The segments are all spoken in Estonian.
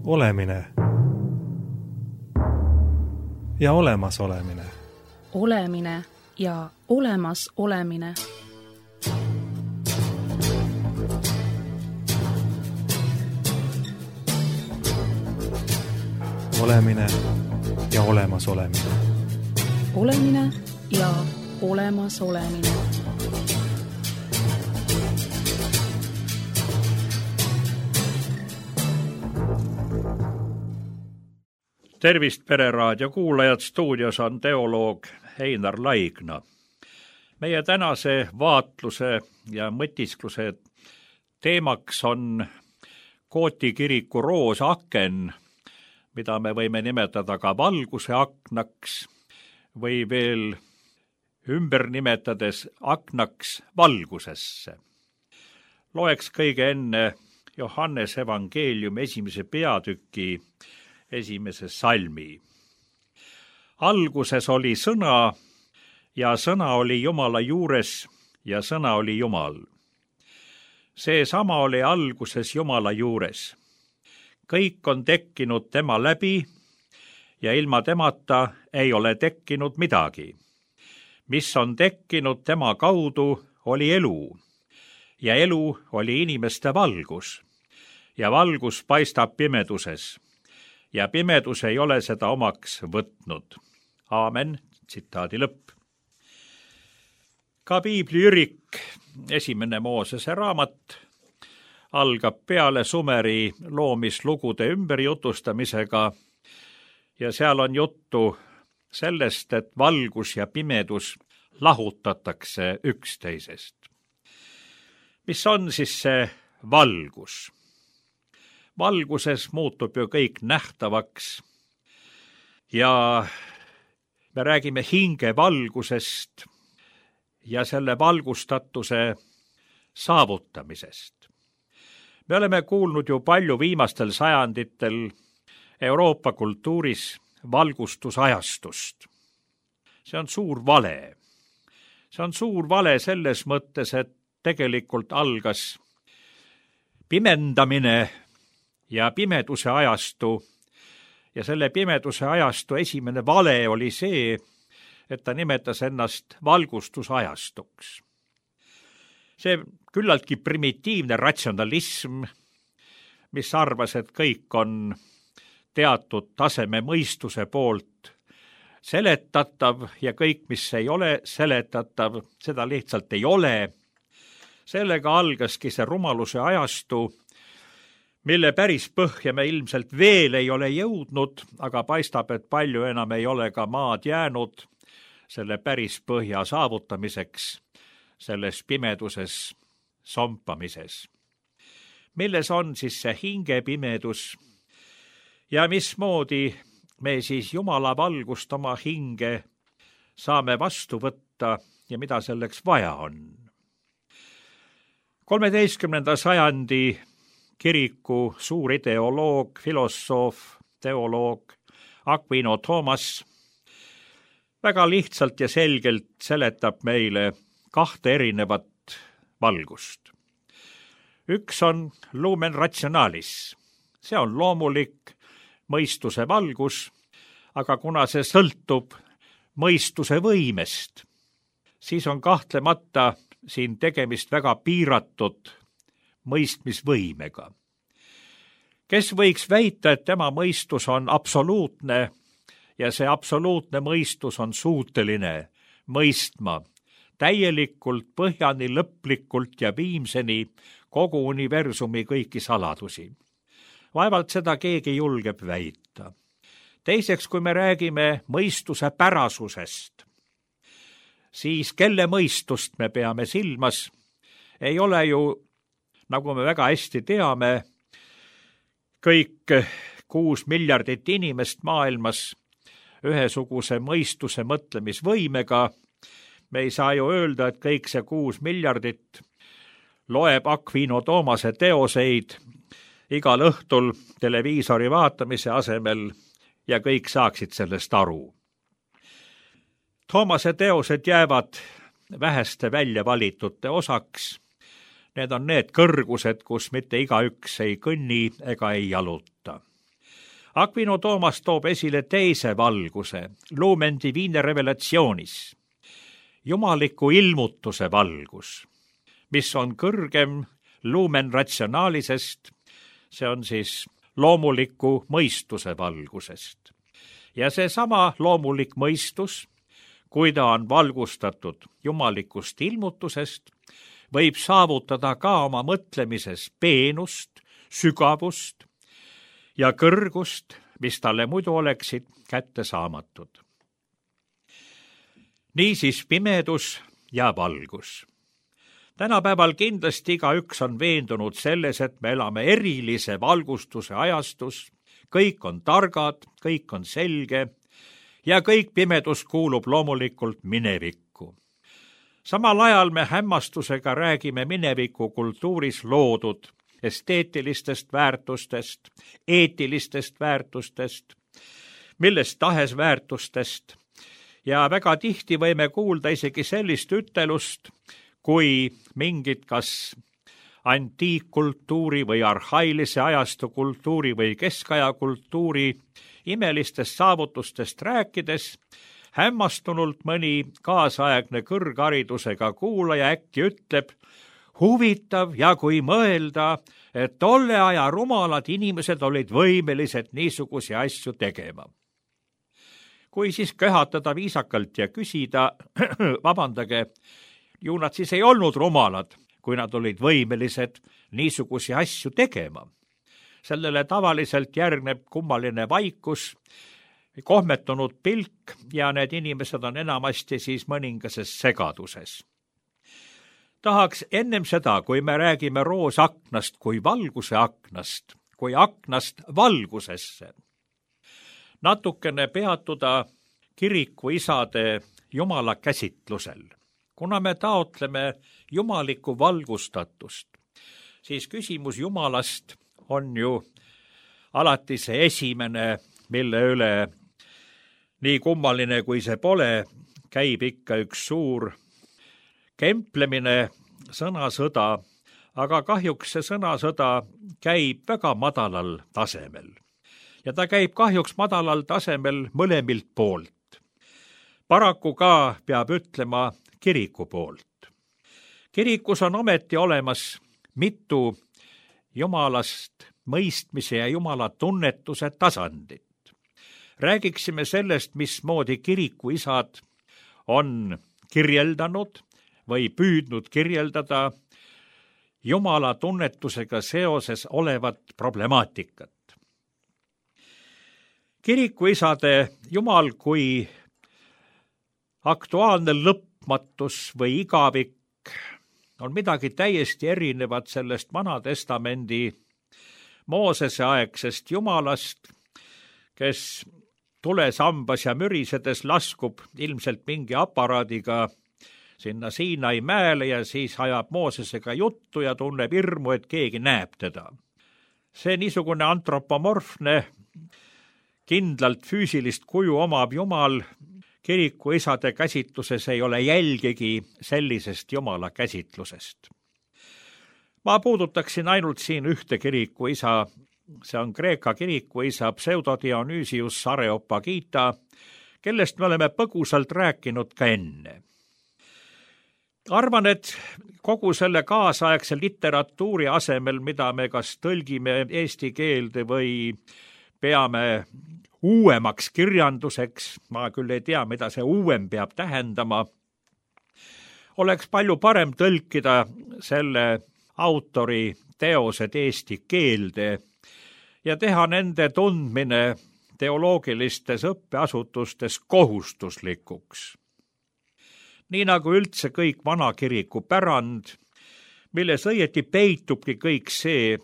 Olemine ja olemasolemine. Olemine ja olemasolemine. Olemine ja olemasolemine. Olemine ja olemasolemine. Tervist, Pereraadio kuulajad, stuudios on teoloog Einar Laigna. Meie tänase vaatluse ja mõtiskluse teemaks on Kooti kiriku roosaken, mida me võime nimetada ka valguse aknaks või veel ümber nimetades aknaks valgusesse. Loeks kõige enne Johannese evangeeliumi 1. peatüki 1. salmi. Alguses oli sõna ja sõna oli Jumala juures ja sõna oli Jumal. Seesama oli alguses Jumala juures. Kõik on tekkinud tema läbi ja ilma temata ei ole tekkinud midagi. Mis on tekkinud tema kaudu, oli elu ja elu oli inimeste valgus ja valgus paistab pimeduses ja pimedus ei ole seda omaks võtnud. Aamen, tsitaadi lõpp. Ka piibliürik, 1. Moosese raamat, algab peale Sumeri loomislugude ümberjutustamisega ja seal on juttu sellest, et valgus ja pimedus lahutatakse üksteisest. Mis on siis see valgus? Valguses muutub ju kõik nähtavaks ja me räägime hinge valgusest ja selle valgustatuse saavutamisest. Me oleme kuulnud ju palju viimastel sajanditel Euroopa kultuuris valgustusajastust. See on suur vale. See on suur vale selles mõttes, et tegelikult algas pimendamine ja pimeduse ajastu ja selle pimeduse ajastu esimene vale oli see, et ta nimetas ennast valgustusajastuks. See küllaltki primitiivne ratsionalism, mis arvas, et kõik on teatud taseme mõistuse poolt seletatav ja kõik, mis ei ole seletatav, seda lihtsalt ei ole. Sellega algaski see rumaluse ajastu, mille päris põhja me ilmselt veel ei ole jõudnud, aga paistab, et palju enam ei ole ka maad jäänud selle päris põhja saavutamiseks, selles pimeduses sompamises. Milles on siis see hingepimedus ja mismoodi me siis Jumala valgust oma hinge saame vastu võtta ja mida selleks vaja on? 13. sajandi kiriku suur ideoloog, filosoof, teoloog Aquino Thomas väga lihtsalt ja selgelt seletab meile 2 erinevat valgust. Üks on lumen rationalis. See on loomulik mõistuse valgus, aga kuna see sõltub mõistuse võimest, siis on kahtlemata siin tegemist väga piiratud mõistmisvõimega. Kes võiks väita, et tema mõistus on absoluutne ja see absoluutne mõistus on suuteline mõistma täielikult, põhjani, lõplikult ja viimseni kogu universumi kõiki saladusi. Vaevalt seda keegi julgeb väita. Teiseks, kui me räägime mõistuse pärasusest, siis kelle mõistust me peame silmas, ei ole ju, nagu me väga hästi teame, kõik 6 miljardit inimest maailmas ühesuguse mõistuse mõtlemisvõimega. Me ei saa ju öelda, et kõik see 6 miljardit loeb Aquino Thomase teoseid igal õhtul televiisori vaatamise asemel ja kõik saaksid sellest aru. Thomase teosed jäävad väheste välja valitute osaks. Need on need kõrgused, kus mitte igaüks ei kõnni ega ei jaluta. Aquino Toomas toob esile teise valguse, lumen divine revelationis, jumaliku ilmutuse valgus, mis on kõrgem lumen ratsionaalisest, see on siis loomuliku mõistuse valgusest. Ja seesama loomulik mõistus, kui ta on valgustatud jumalikust ilmutusest, võib saavutada ka oma mõtlemises peenust, sügavust ja kõrgust, mis talle muidu oleksid kättesaamatud. Niisiis pimedus ja valgus. Tänapäeval kindlasti igaüks on veendunud selles, et me elame erilise valgustuse ajastus, kõik on targad, kõik on selge ja kõik pimedus kuulub loomulikult minevikku. Samal ajal me hämmastusega räägime mineviku kultuuris loodud esteetilistest väärtustest, eetilistest väärtustest, millest tahes väärtustest ja väga tihti võime kuulda isegi sellist ütelust, kui mingid kas antiikkultuuri või arhailise ajastu kultuuri või keskaja kultuuri imelistest saavutustest rääkides, hämmastunult mõni kaasaegne kõrgharidusega kuulaja äkki ütleb, huvitav ja kui mõelda, et tolle aja rumalad inimesed olid võimelised niisugusi asju tegema. Kui siis köhatada viisakalt ja küsida, vabandage, ju nad siis ei olnud rumalad, kui nad olid võimelised niisugusi asju tegema. Sellele tavaliselt järgneb kummaline vaikus, kohmetunud pilk ja need inimesed on enamasti siis mõningases segaduses. Tahaks ennem seda, kui me räägime roosaknast kui valguse aknast, kui aknast valgusesse, natukene peatuda kirikuisade jumala käsitlusel. Kuna me taotleme jumalikku valgustatust, siis küsimus jumalast on ju alati see esimene, mille üle nii kummaline kui see pole, käib ikka üks suur kemplemine, sõnasõda, aga kahjuks see sõnasõda käib väga madalal tasemel. Ja ta käib kahjuks madalal tasemel mõlemilt poolt. Paraku ka peab ütlema kiriku poolt. Kirikus on ometi olemas mitu jumalast mõistmise ja jumala tunnetuse tasandit. Räägiksime sellest, mismoodi kirikuisad on kirjeldanud või püüdnud kirjeldada jumala tunnetusega seoses olevat problemaatikat. Kirikuisade jumal kui aktuaalne lõpmatus või igavik on midagi täiesti erinevat sellest Vanatestamendi Moosese aegsest jumalast, kes tulesambas ja mürisedes laskub ilmselt mingi aparaadiga sinna Siinai mäele ja siis ajab Moosesega juttu ja tunneb hirmu, et keegi näeb teda. See niisugune antropomorfne, kindlalt füüsilist kuju omab jumal kirikuisade käsitluses ei ole jälgigi sellisest jumala käsitlusest. Ma puudutaksin ainult siin ühte kirikuisa, see on Kreeka kirikuisa Pseudodionysius Areopagita, kellest me oleme põgusalt rääkinud ka enne. Arvan, et kogu selle kaasaegse literatuuri asemel, mida me kas tõlgime eesti keelde või peame uuemaks kirjanduseks, ma küll ei tea, mida see uuem peab tähendama, oleks palju parem tõlkida selle autori teosed eesti keelde ja teha nende tundmine teoloogilistes õppeasutustes kohustuslikuks. Nii nagu üldse kõik vanakiriku pärand, milles õieti peitubki kõik see,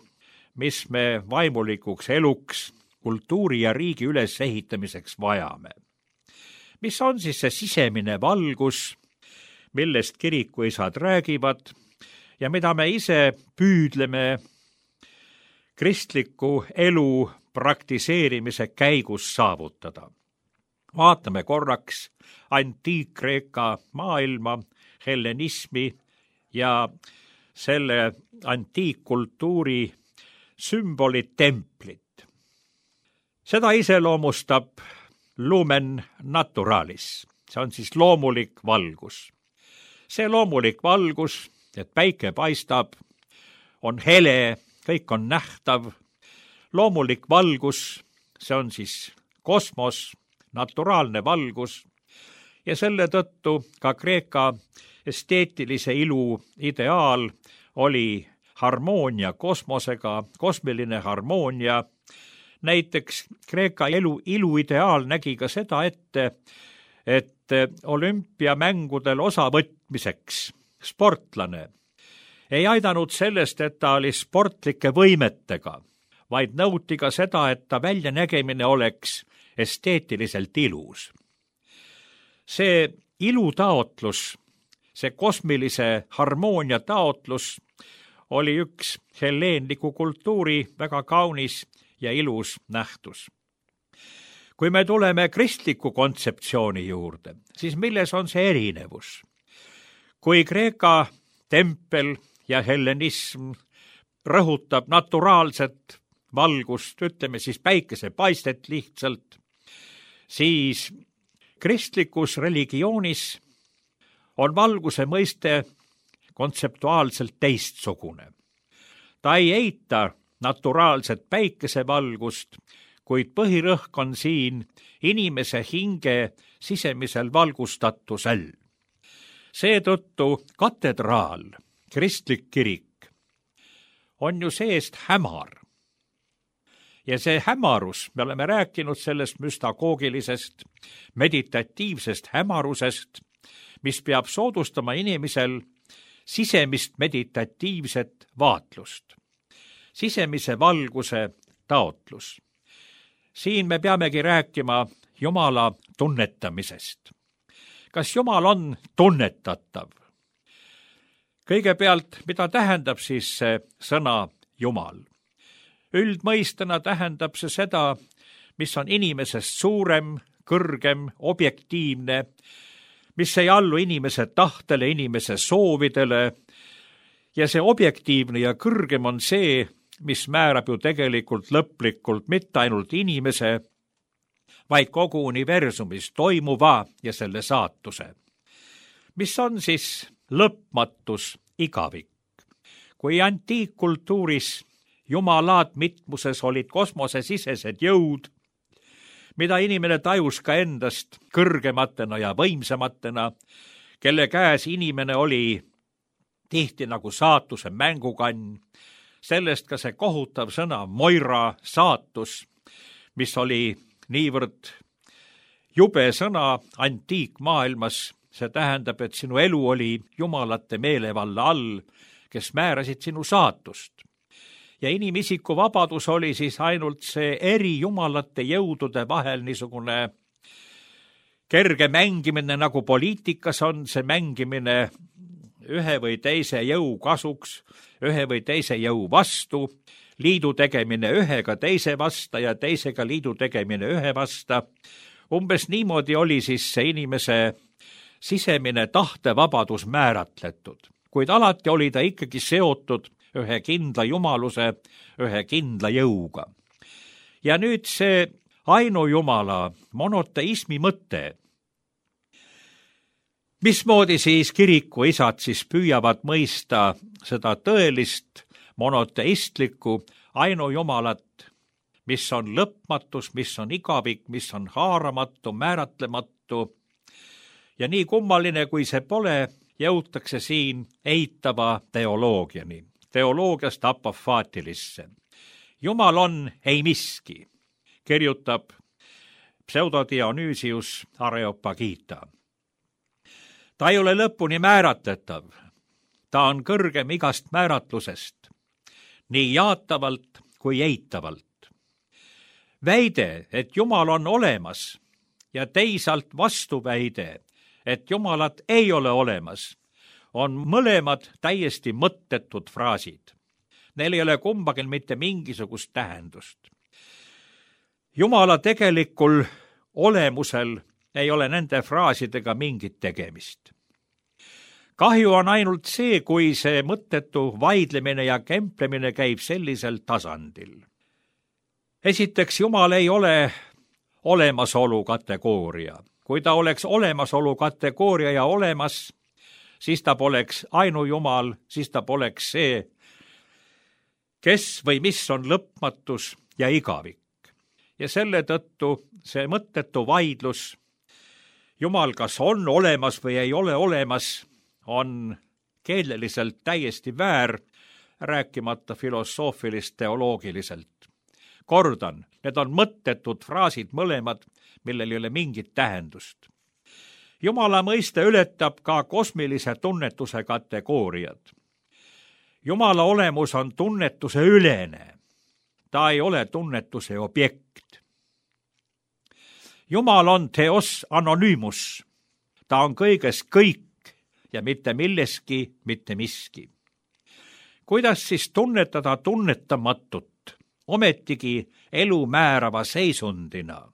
mis me vaimulikuks eluks, kultuuri ja riigi ülesehitamiseks vajame. Mis on siis see sisemine valgus, millest kirikuisad räägivad ja mida me ise püüdleme kristliku elu praktiseerimise käigus saavutada. Vaatame korraks antiik-Kreeka maailma, hellenismi ja selle antiikkultuuri sümbolid templit. Seda iseloomustab lumen naturalis, see on siis loomulik valgus. See loomulik valgus, et päike paistab, on hele, kõik on nähtav. Loomulik valgus, see on siis kosmos, naturaalne valgus ja selle tõttu ka Kreeka esteetilise ilu ideaal oli harmoonia kosmosega, kosmiline harmoonia. Näiteks Kreeka ilu ideaal nägi ka seda ette, et olümpiamängudel osavõtmiseks sportlane ei aidanud sellest, et ta oli sportlike võimetega, vaid nõuti ka seda, et ta väljanägemine oleks esteetiliselt ilus. See ilutaotlus, see kosmilise harmoonia taotlus oli üks helleenliku kultuuri väga kaunis ja ilus nähtus. Kui me tuleme kristliku kontseptsiooni juurde, siis milles on see erinevus? Kui Kreeka tempel ja hellenism rõhutab naturaalset valgust, ütleme siis päikesepaistet lihtsalt, siis kristlikus religioonis on valguse mõiste kontseptuaalselt teistsugune. Ta ei eita naturaalset päikesevalgust, kuid põhirõhk on siin inimese hinge sisemisel valgustatusel. Seetõttu katedraal, kristlik kirik, on ju seest hämar. Ja see hämarus, me oleme rääkinud sellest müstagoogilisest, meditatiivsest hämarusest, mis peab soodustama inimesel sisemist meditatiivset vaatlust, sisemise valguse taotlus. Siin me peamegi rääkima Jumala tunnetamisest. Kas Jumal on tunnetatav? Kõigepealt, mida tähendab siis see sõna Jumal? Üldmõistena tähendab see seda, mis on inimesest suurem, kõrgem, objektiivne, mis ei allu inimese tahtele, inimese soovidele, ja see objektiivne ja kõrgem on see, mis määrab ju tegelikult lõplikult mitte ainult inimese, vaid kogu universumis toimuva ja selle saatuse. Mis on siis lõpmatus igavik? Kui antiikkultuuris jumalaat mitmuses olid kosmosesisesed jõud, mida inimene tajus ka endast kõrgematena ja võimsamatena, kelle käes inimene oli tihti nagu saatuse mängukann, sellest ka see kohutav sõna Moira, saatus, mis oli niivõrd jube sõna antiikmaailmas, see tähendab, et sinu elu oli jumalate meelevalla all, kes määrasid sinu saatust. Ja inimisiku vabadus oli siis ainult see eri jumalate jõudude vahel niisugune kerge mängimine, nagu poliitikas on see mängimine ühe või teise jõu kasuks, ühe või teise jõu vastu, liidu tegemine ühega teise vasta ja teisega liidu tegemine ühe vasta. Umbes niimoodi oli siis see inimese sisemine tahtevabadus määratletud, kuid alati oli ta ikkagi seotud ühe kindla jumaluse, ühe kindla jõuga. Ja nüüd see ainujumala monoteismi mõte. Mismoodi siis kiriku isad siis püüavad mõista seda tõelist monoteistlikku ainujumalat, mis on lõpmatus, mis on igavik, mis on haaramatu, määratlematu. Ja nii kummaline, kui see pole, jõutakse siin eitava teoloogiani. Teoloogiast apofaatilisse. Jumal on ei miski, kirjutab pseudodionüüsius Areopagita. Ta ei ole lõpuni määratletav, ta on kõrgem igast määratlusest, nii jaatavalt kui eitavalt. Väide, et Jumal on olemas ja teisalt vastuväide, et Jumalat ei ole olemas, on mõlemad täiesti mõttetud fraasid. Neil ei ole kumbagil mitte mingisugust tähendust. Jumala tegelikul olemusel ei ole nende fraasidega mingit tegemist. Kahju on ainult see, kui see mõttetu vaidlemine ja kemplemine käib sellisel tasandil. esiteks, Jumal ei ole olemasolu kategooria. Kui ta oleks olemasolu kategooria ja olemas, siis ta poleks ainujumal, siis ta poleks see, kes või mis on lõpmatus ja igavik. Ja selle tõttu see mõttetu vaidlus, Jumal kas on olemas või ei ole olemas, on keeleliselt täiesti väär, rääkimata filosoofilist-teoloogiliselt. Kordan, need on mõttetud fraasid mõlemad, millel ei ole mingit tähendust. Jumala mõiste ületab ka kosmilise tunnetuse kategooriad. Jumala olemus on tunnetuse ülene. Ta ei ole tunnetuse objekt. Jumal on theos anonyymus. Ta on kõiges kõik ja mitte milleski mitte miski. Kuidas siis tunnetada tunnetamatut, ometigi elu määrava seisundina?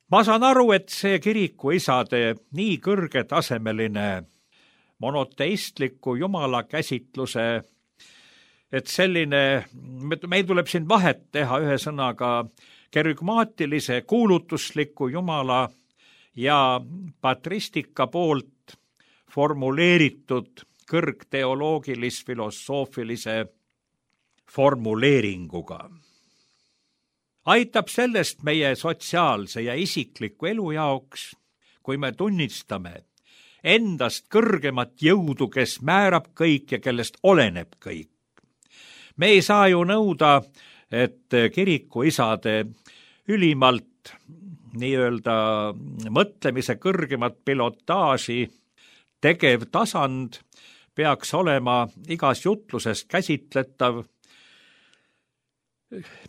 Ma saan aru, et see kirikuisade nii kõrgetasemeline monoteistliku jumala käsitluse, et selline, meil tuleb siin vahet teha ühesõnaga kerygmaatilise kuulutusliku jumala ja patristika poolt formuleeritud kõrgteoloogilis-filosoofilise formuleeringuga. Aitab sellest meie sotsiaalse ja isikliku elu jaoks, kui me tunnistame endast kõrgemat jõudu, kes määrab kõik ja kellest oleneb kõik. Me ei saa ju nõuda, et kirikuisade ülimalt nii-öelda mõtlemise kõrgemat pilotaaži tegev tasand peaks olema igas jutluses käsitletav.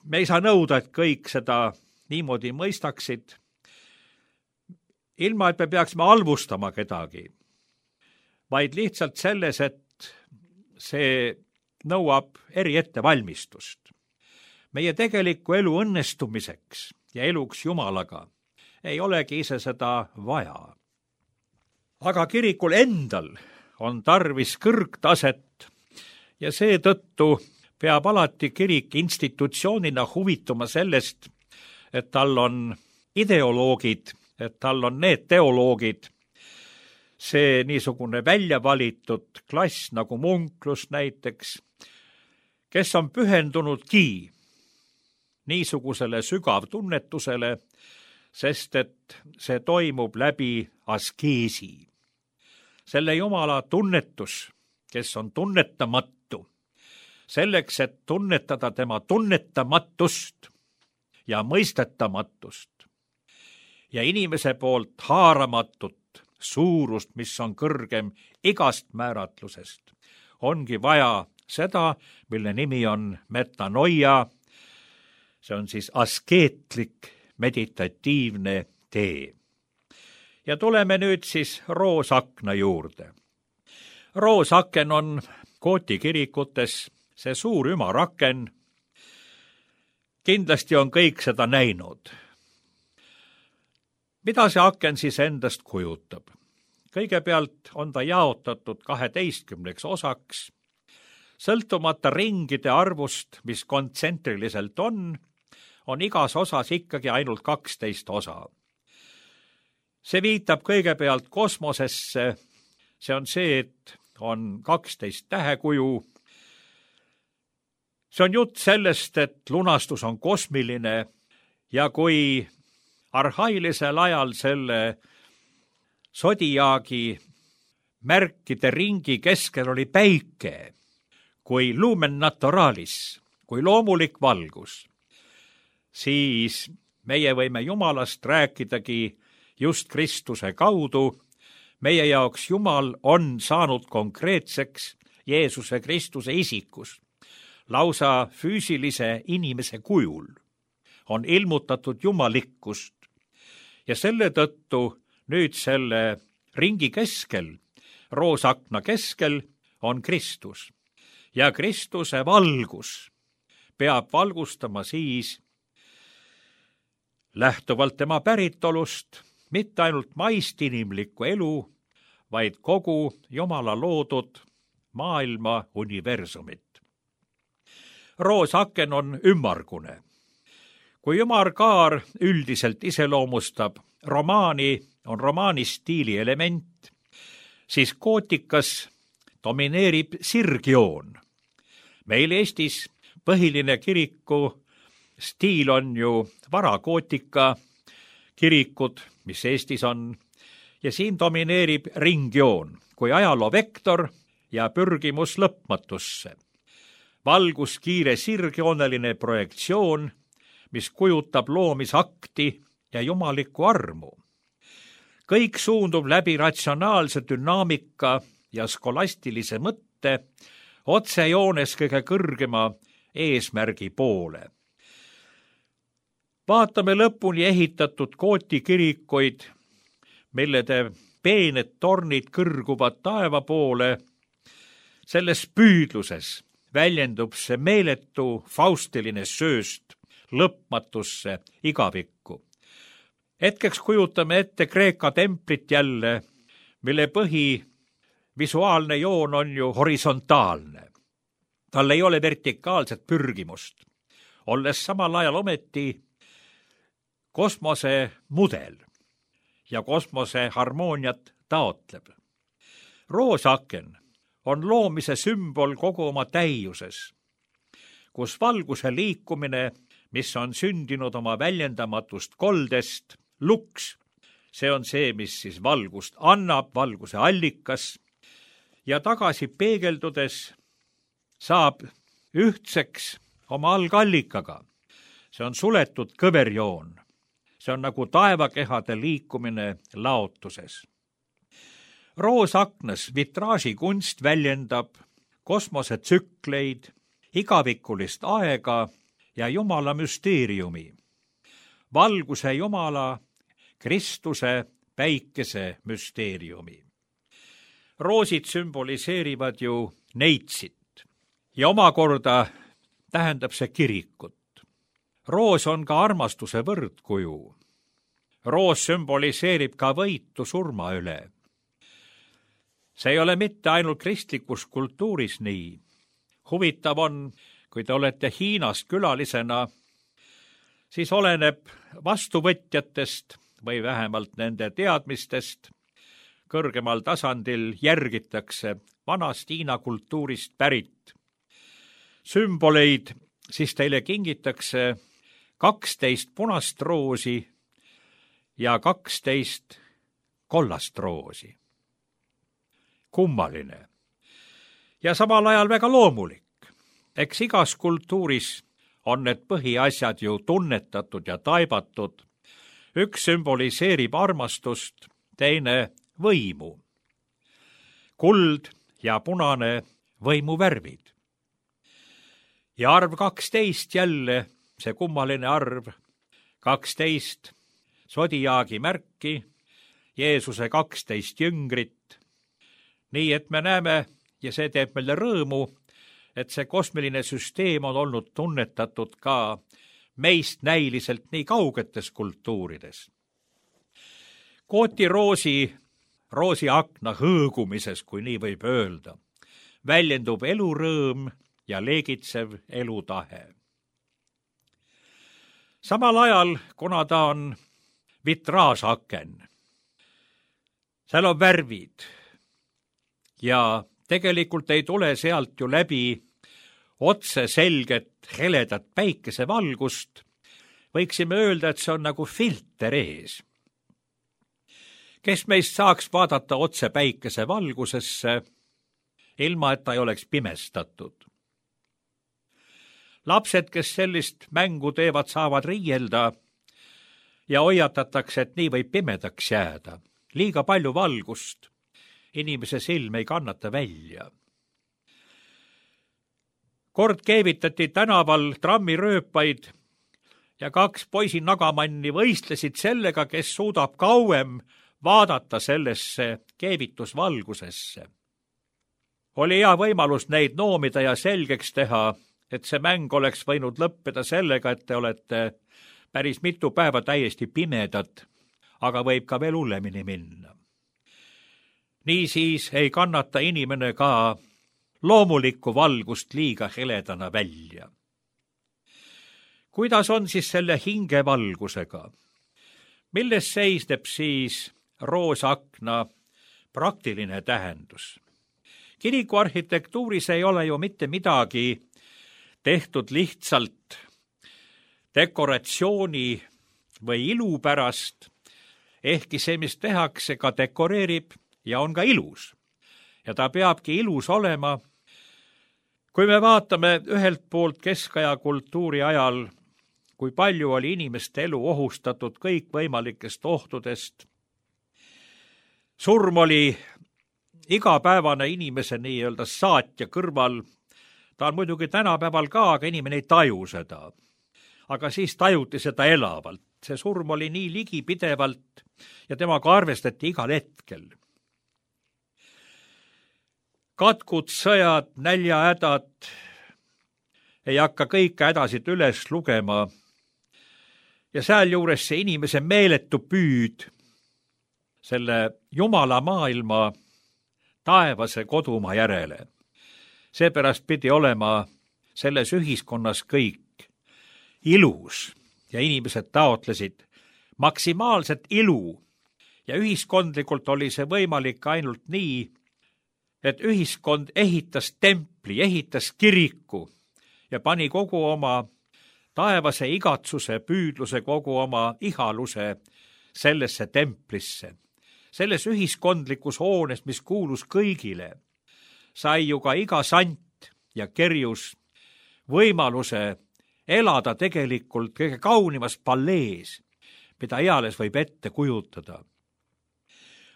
Me ei saa nõuda, et kõik seda niimoodi mõistaksid, ilma et me peaksime halvustama kedagi, vaid lihtsalt selles, et see nõuab eriettevalmistust. Meie tegeliku elu õnnestumiseks ja eluks Jumalaga ei olegi ise seda vaja. Aga kirikul endal on tarvis kõrgtaset ja seetõttu peab alati kirik institutsioonina huvituma sellest, et tal on ideoloogid, et tal on need teoloogid, see niisugune välja valitud klass nagu munklus näiteks, kes on pühendunudki niisugusele sügavtunnetusele, sest et see toimub läbi askeesi. Selle Jumala tunnetus, kes on tunnetamatu, selleks, et tunnetada tema tunnetamatust ja mõistetamatust ja inimese poolt haaramatut suurust, mis on kõrgem igast määratlusest, ongi vaja seda, mille nimi on metanoia, see on siis askeetlik meditatiivne tee. Ja tuleme nüüd siis roosakna juurde. Roosaken on Gooti kirikutes see suur ümaraken. Kindlasti on kõik seda näinud. Mida see aken siis endast kujutab? Kõigepealt on ta jaotatud 12 osaks, sõltumata ringide arvust, mis kontsentriliselt on igas osas ikkagi ainult 12 osa. See viitab kõigepealt kosmosesse, see on see, et on 12 tähekuju. See on jutt sellest, et lunastus on kosmiline ja kui arhailisel ajal selle sodiaagi märkide ringi keskel oli päike, kui lumen naturalis, kui loomulik valgus, siis meie võime Jumalast rääkidagi just Kristuse kaudu. Meie jaoks Jumal on saanud konkreetseks Jeesuse Kristuse isikus. Lausa füüsilise inimese kujul on ilmutatud jumalikkust ja selle tõttu nüüd selle ringi keskel, roosakna keskel on Kristus ja Kristuse valgus peab valgustama siis lähtuvalt tema päritolust mitte ainult maist inimlikku elu, vaid kogu Jumala loodud maailma universumit. roosaken on ümmargune. kui ümarkaar üldiselt iseloomustab romaani, on romaani stiili element, siis gootikas domineerib sirgjoon. meil Eestis põhiline kiriku stiil on ju varagootika kirikud, mis Eestis on, ja siin domineerib ringjoon kui ajaloo vektor ja pürgimus lõpmatusse. valguskiire sirgjooneline projektsioon, mis kujutab loomisakti ja jumalikku armu. kõik suundub läbi ratsionaalse dünaamika ja skolastilise mõtte otsejoones kõige kõrgema eesmärgi poole. vaatame lõpuni ehitatud gooti kirikuid, millede peened tornid kõrguvad taeva poole. selles püüdluses väljendub see meeletu faustiline sööst lõpmatusse igavikku. hetkeks kujutame ette Kreeka templit jälle, mille visuaalne joon on ju horisontaalne. tal ei ole vertikaalset pürgimust, olles samal ajal ometi kosmose mudel ja kosmose harmooniat taotleb. roosaken on loomise sümbol kogu oma täiuses, kus valguse liikumine, mis on sündinud oma väljendamatust koldest, luks, see on see, mis siis valgust annab, valguse allikas, ja tagasi peegeldudes saab ühtseks oma algallikaga. see on suletud kõverjoon. see on nagu taevakehade liikumine laotuses. roosaknas vitraažikunst väljendab kosmosetsükleid, igavikulist aega ja Jumala müsteeriumi. valguse Jumala, Kristuse, päikese müsteeriumi. roosid sümboliseerivad ju neitsit ja omakorda tähendab see kirikut. roos on ka armastuse võrdkuju. roos sümboliseerib ka võitu surma üle. see ei ole mitte ainult kristlikus kultuuris nii. huvitav on, kui te olete Hiinas külalisena, siis oleneb vastuvõtjatest või vähemalt nende teadmistest, kõrgemal tasandil järgitakse vanast Hiina kultuurist pärit sümboleid, siis teile kingitakse 12 punast roosi ja 12 kollast roosi. kummaline ja samal ajal väga loomulik. eks igas kultuuris on need põhiasjad ju tunnetatud ja taibatud. üks sümboliseerib armastust, teine võimu. kuld ja punane võimuvärvid. ja arv 12 jälle, see kummaline arv, 12 sodiaagi märki, Jeesuse 12 jüngrit. nii et me näeme, ja see teeb meile rõõmu, et see kosmiline süsteem on olnud tunnetatud ka meist näiliselt nii kaugetes kultuurides. Gooti roosiakna hõõgumises, kui nii võib öelda, väljendub elurõõm ja leegitsev elutahe. samal ajal, kuna ta on vitraažaken, seal on värvid ja tegelikult ei tule sealt ju läbi otse selget heledat päikesevalgust, võiksime öelda, et see on nagu filter ees. kes meist saaks vaadata otse päikesevalgusesse, ilma et ta ei oleks pimestatud? lapsed, kes sellist mängu teevad, saavad riielda ja hoiatatakse, et nii võib pimedaks jääda. liiga palju valgust. Inimese silm ei kannata välja. kord keevitati tänaval trammirööpaid ja 2 poisi nagamanni võistlesid sellega, kes suudab kauem vaadata sellesse keevitusvalgusesse. oli hea võimalus neid noomida ja selgeks teha, et see mäng oleks võinud lõppeda sellega, et te olete päris mitu päeva täiesti pimedad, aga võib ka veel hullemini minna. Niisiis ei kannata inimene ka loomulikku valgust liiga heledana välja. kuidas on siis selle hingevalgusega? Milles seisneb siis roosakna praktiline tähendus? Kiriku arhitektuuris ei ole ju mitte midagi tehtud lihtsalt dekoratsiooni või ilu pärast, ehkki see, mis tehakse, ka dekoreerib ja on ka ilus. Ja ta peabki ilus olema. Kui me vaatame ühelt poolt keskaja kultuuri ajal, kui palju oli inimeste elu ohustatud kõikvõimalikest ohtudest, surm oli igapäevane inimese nii-öelda saatja kõrval. Ta on muidugi tänapäeval ka, aga inimene ei taju seda. Aga siis tajuti seda elavalt. See surm oli nii ligipidevalt ja temaga arvestati igal hetkel. Katkud, sõjad, näljahädad, ei hakka kõike hädasid üles lugema. Ja sealjuures see inimese meeletu püüd selle Jumala maailma taevase kodumaa järele. Seepärast pidi olema selles ühiskonnas kõik ilus ja inimesed taotlesid maksimaalset ilu ja ühiskondlikult oli see võimalik ainult nii, et ühiskond ehitas templi, ehitas kiriku ja pani kogu oma taevase igatsuse, püüdluse, kogu oma ihaluse sellesse templisse. Selles ühiskondlikus hoones, mis kuulus kõigile, sai ju ka iga sant ja kerjus võimaluse elada tegelikult kõige kaunimas pallees, mida eales võib ette kujutada.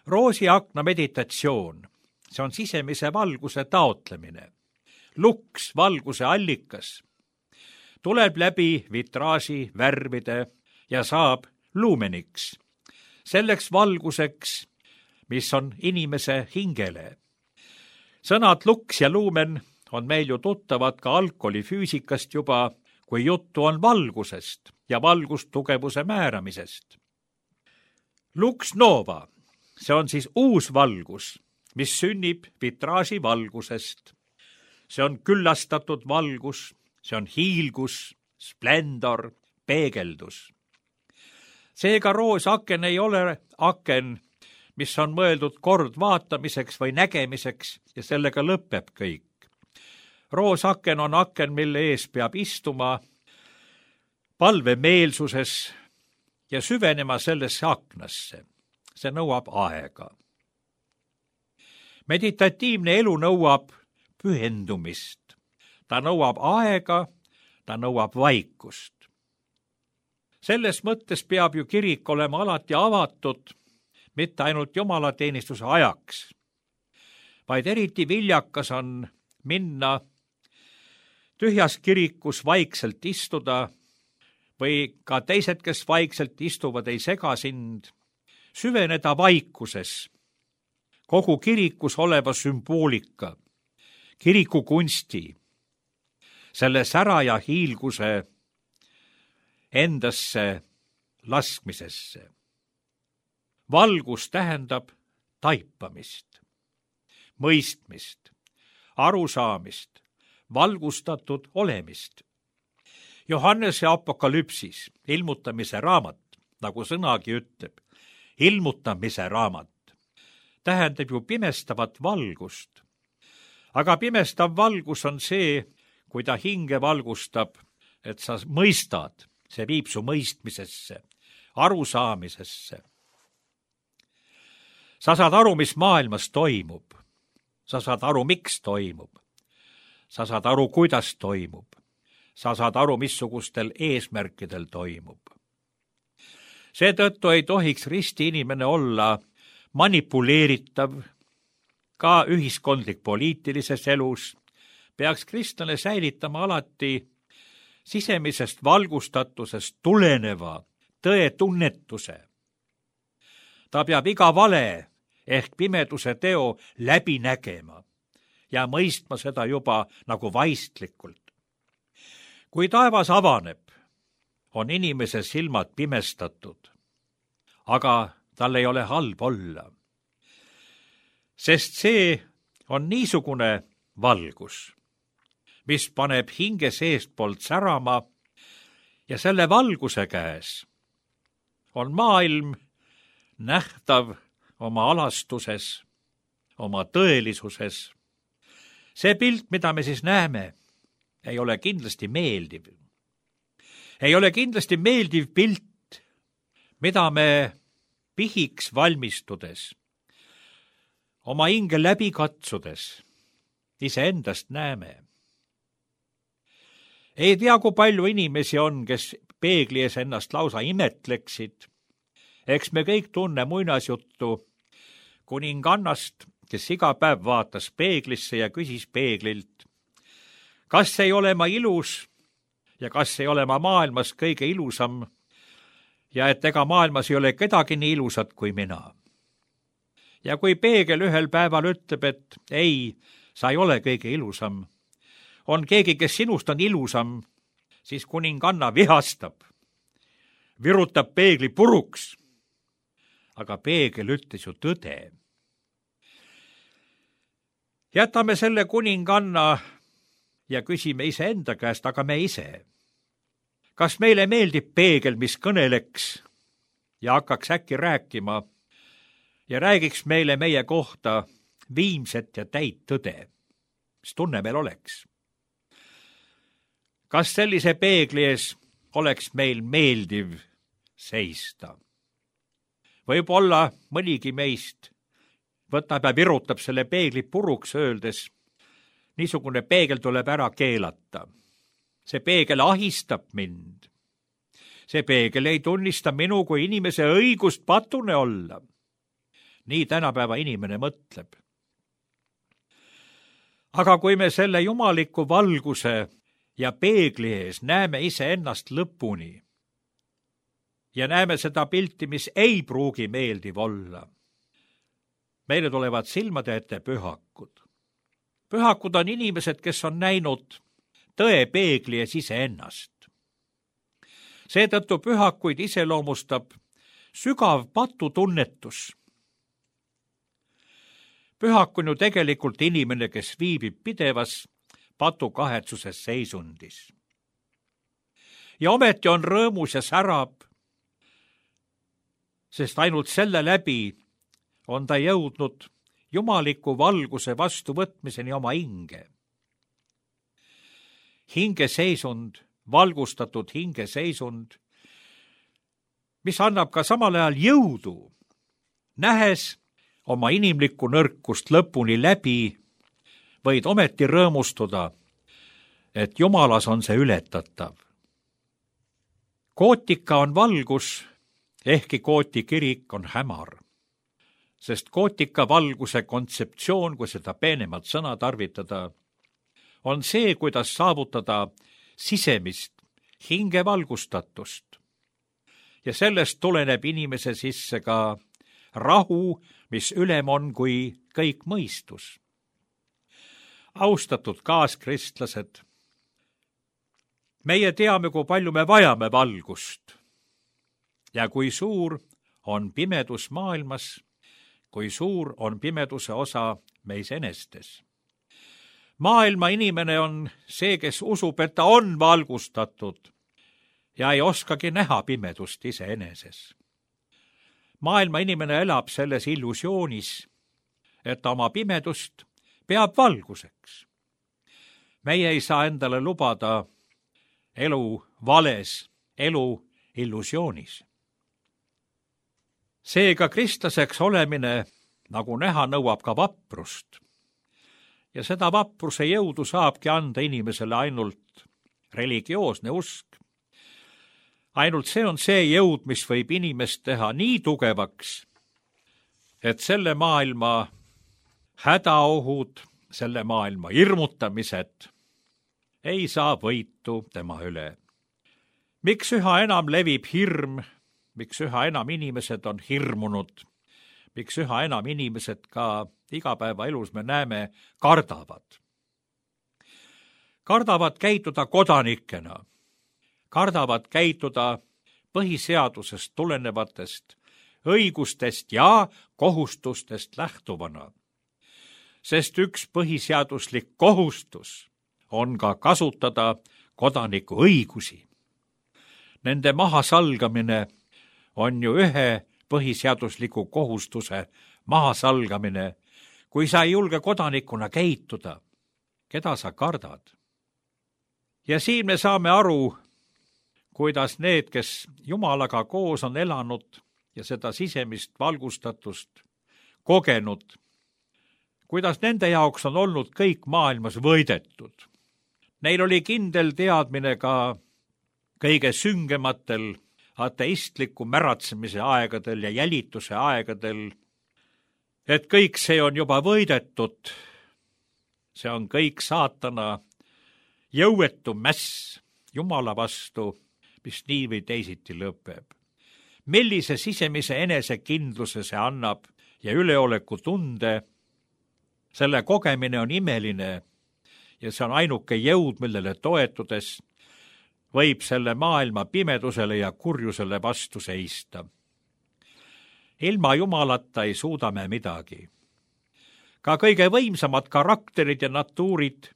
Roosiakna meditatsioon, see on sisemise valguse taotlemine. Luks, valguse allikas, tuleb läbi vitraaži värvide ja saab luumeniks, selleks valguseks, mis on inimese hingele. Sõnad luks ja luumen on meil ju tuttavad ka alkoholifüüsikast juba, kui juttu on valgusest ja valgustugevuse määramisest. Lux nova, see on siis uus valgus, mis sünnib vitraaži valgusest. See on küllastatud valgus, see on hiilgus, splendor, peegeldus. Seega roosaken ei ole aken, mis on mõeldud kord vaatamiseks või nägemiseks ja sellega lõpeb kõik. Roosaken on aken, mille ees peab istuma palvemeelsuses ja süvenema sellesse aknasse. See nõuab aega. Meditatiivne elu nõuab pühendumist. Ta nõuab aega, ta nõuab vaikust. Selles mõttes peab ju kirik olema alati avatud, mitte ainult jumalateenistuse ajaks, vaid eriti viljakas on minna tühjas kirikus vaikselt istuda või ka teised, kes vaikselt istuvad, ei sega sind, süveneda vaikuses, kogu kirikus oleva sümboolika, kiriku kunsti, selle sära ja hiilguse endasse laskmisesse. Valgus tähendab taipamist, mõistmist, arusaamist, valgustatud olemist. Johannese apokalüpsis, ilmutamise raamat, nagu sõnagi ütleb, ilmutamise raamat, tähendab ju pimestavat valgust. Aga pimestav valgus on see, kui ta hinge valgustab, et sa mõistad, see viib su mõistmisesse, arusaamisesse. Sa saad aru, mis maailmas toimub. Sa saad aru, miks toimub. Sa saad aru, kuidas toimub. Sa saad aru, missugustel eesmärkidel toimub. Seetõttu ei tohiks risti inimene olla manipuleeritav, ka ühiskondlik poliitilises elus. Peaks kristlane säilitama alati sisemisest valgustatusest tuleneva tõetunnetuse. Ta peab iga vale ehk pimeduse teo läbi nägema ja mõistma seda juba nagu vaistlikult. Kui taevas avaneb, on inimese silmad pimestatud, aga tal ei ole halb olla. Sest see on niisugune valgus, mis paneb hinge seestpoolt särama ja selle valguse käes on maailm nähtav oma alastuses, oma tõelisuses. See pilt, mida me siis näeme, ei ole kindlasti meeldiv. Ei ole kindlasti meeldiv pilt, mida me pihiks valmistudes, oma hinge läbi katsudes, iseendast näeme. Ei tea, kui palju inimesi on, kes peegli ees ennast lausa imetleksid. Eks me kõik tunne muinasjuttu kuningannast, kes iga päev vaatas peeglisse ja küsis peeglilt, kas ei ole ma ilus ja kas ei ole ma maailmas kõige ilusam ja et ega maailmas ei ole kedagi nii ilusat kui mina. Ja kui peegel ühel päeval ütleb, et ei, sa ei ole kõige ilusam, on keegi, kes sinust on ilusam, siis kuninganna vihastab, virutab peegli puruks. Aga peegel ütles ju tõde. Jätame selle kuninganna ja küsime iseenda käest, aga me ise. Kas meile meeldib peegel, mis kõneleks ja hakkaks äkki rääkima ja räägiks meile meie kohta viimset ja täit tõde? Mis tunne meil oleks? Kas sellise peegli ees oleks meil meeldiv seista? Võib-olla mõnigi meist võtab ja virutab selle peegli puruks öeldes, niisugune peegel tuleb ära keelata. See peegel ahistab mind. See peegel ei tunnista minu kui inimese õigust patune olla. Nii tänapäeva inimene mõtleb. Aga kui me selle jumaliku valguse ja peegli ees näeme iseennast lõpuni ja näeme seda pilti, mis ei pruugi meeldiv olla, meile tulevad silmade ette pühakud. Pühakud on inimesed, kes on näinud tõe peegli ees iseennast. Seetõttu pühakuid iseloomustab sügav patutunnetus. Pühak on ju tegelikult inimene, kes viibib pidevas patukahetsuses seisundis. Ja ometi on rõõmus ja särab, sest ainult selle läbi on ta jõudnud jumaliku valguse vastuvõtmiseni oma hinge. Hingeseisund, valgustatud hingeseisund, mis annab ka samal ajal jõudu, nähes oma inimlikku nõrkust lõpuni läbi, võid ometi rõõmustuda, et Jumalas on see ületatav. Kootika on valgus, ehkki Kooti kirik on hämar. Sest kootika valguse kontseptsioon, kui seda peenemalt sõna tarvitada, on see, kuidas saavutada sisemist hingevalgustatust. Ja sellest tuleneb inimese sisse ka rahu, mis ülem on kui kõik mõistus. Austatud kaaskristlased, meie teame, kui palju me vajame valgust ja kui suur on pimedus maailmas, kui suur on pimeduse osa meis enestes. Maailma inimene on see, kes usub, et ta on valgustatud ja ei oskagi näha pimedust iseeneses. Maailma inimene elab selles illusioonis, et ta oma pimedust peab valguseks. Meie ei saa endale lubada elu vales, elu illusioonis. Seega kristlaseks olemine, nagu näha, nõuab ka vaprust. Ja seda vapruse jõudu saabki anda inimesele ainult religioosne usk. Ainult see on see jõud, mis võib inimest teha nii tugevaks, et selle maailma hädaohud, selle maailma hirmutamised ei saa võitu tema üle. Miks üha enam levib hirm? Miks üha enam inimesed on hirmunud? Miks üha enam inimesed ka igapäevaelus me näeme kardavad? Kardavad käituda kodanikena, kardavad käituda põhiseadusest tulenevatest õigustest ja kohustustest lähtuvana. Sest üks põhiseaduslik kohustus on ka kasutada kodaniku õigusi. Nende mahasalgamine on ju ühe põhiseadusliku kohustuse mahasalgamine, kui sa ei julge kodanikuna käituda. Keda sa kardad? Ja siin me saame aru, kuidas need, kes Jumalaga koos on elanud ja seda sisemist valgustatust kogenud, kuidas nende jaoks on olnud kõik maailmas võidetud. Neil oli kindel teadmine ka kõige süngematel ateistliku märatsemise aegadel ja jälituse aegadel, et kõik see on juba võidetud. See on kõik saatana jõuetu mäss Jumala vastu, mis nii või teisiti lõpeb. Millise sisemise enesekindluse see annab ja üleoleku tunde, selle kogemine on imeline ja see on ainuke jõud, millele toetudes võib selle maailma pimedusele ja kurjusele vastu seista. Ilma Jumalata ei suuda me midagi. Ka kõige võimsamad karakterid ja natuurid,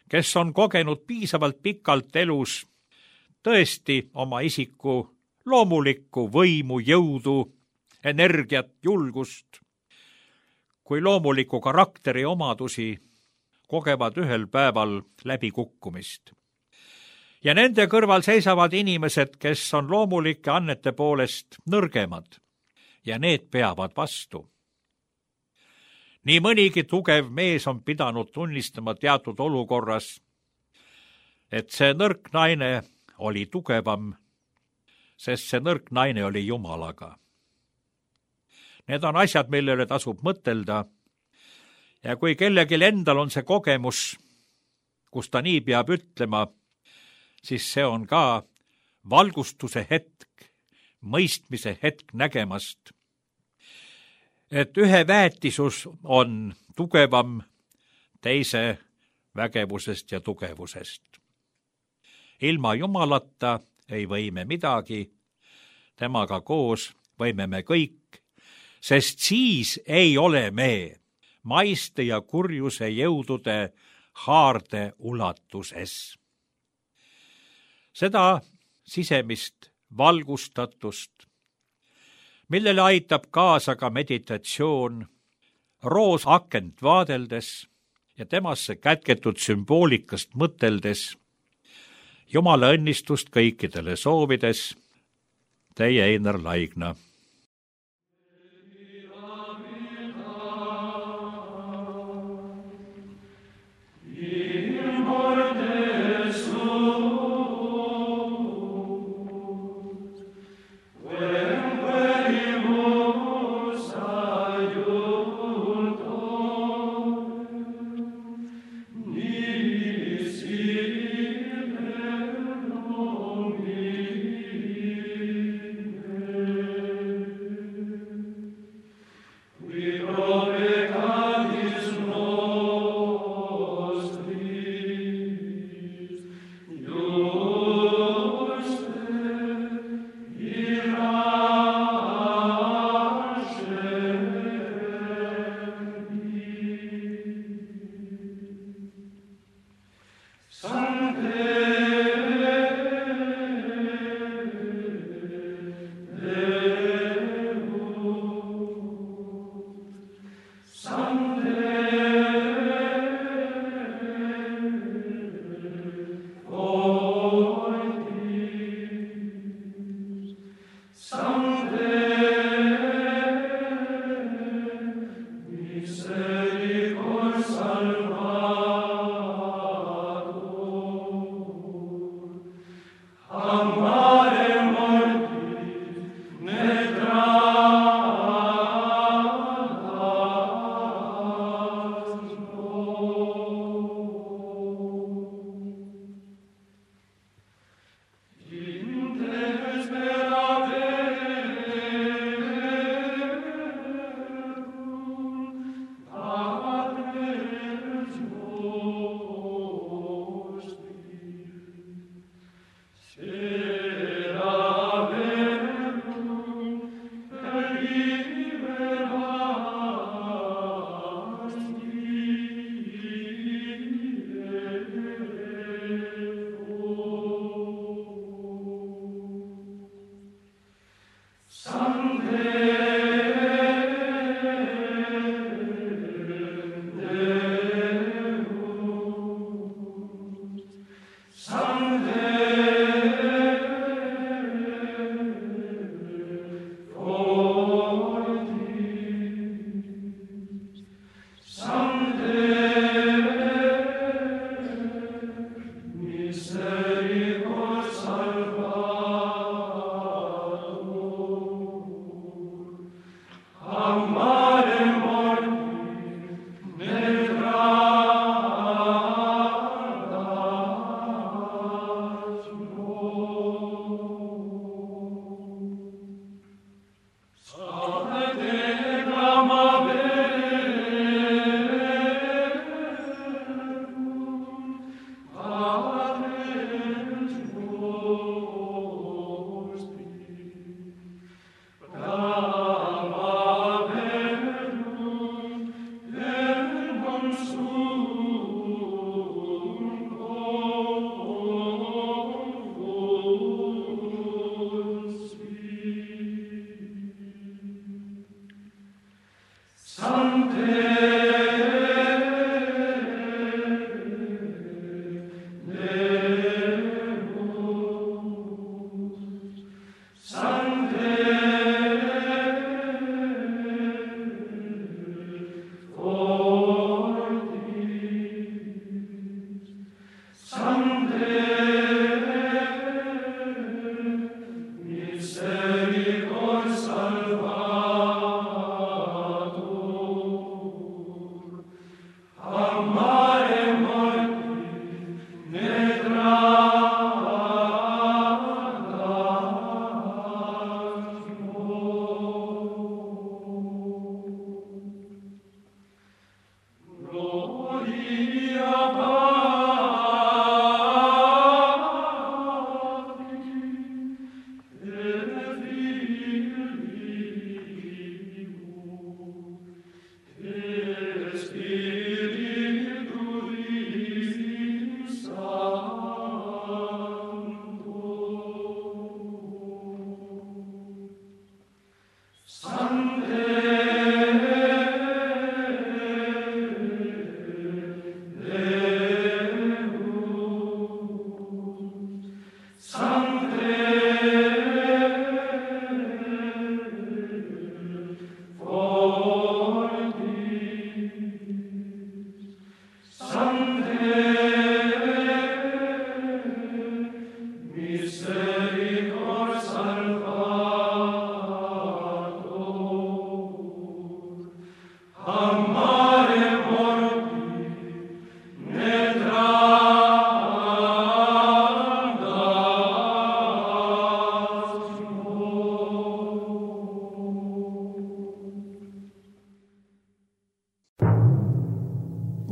kes on kogenud piisavalt pikalt elus tõesti oma isiku loomulikku võimu, jõudu, energiat, julgust, kui loomuliku karakteri omadusi kogevad ühel päeval läbikukkumist. Ja nende kõrval seisavad inimesed, kes on loomulike annete poolest nõrgemad ja need peavad vastu. Nii mõnigi tugev mees on pidanud tunnistama teatud olukorras, et see nõrk naine oli tugevam, sest see nõrk naine oli Jumalaga. Need on asjad, millele tasub mõtelda ja kui kellelgi endal on see kogemus, kus ta nii peab ütlema, siis see on ka valgustuse hetk, mõistmise hetk nägemast, et ühe väetisus on tugevam teise vägevusest ja tugevusest. Ilma Jumalata ei või me midagi, temaga koos võime me kõik, sest siis ei ole me maiste ja kurjuse jõudude haarde ulatuses. Seda sisemist valgustatust, millele aitab kaasa ka meditatsioon, roosakent vaadeldes ja temasse kätketud sümboolikast mõteldes, Jumala õnnistust kõikidele soovides, teie Einar Laigna.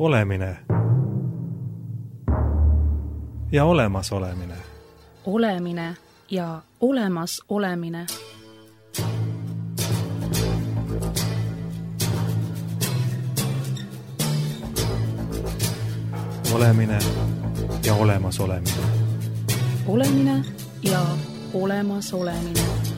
Olemine ja olemasolemine. Olemine ja olemas olemine. Olemine ja olemas olemine. Olemine ja olemas olemine.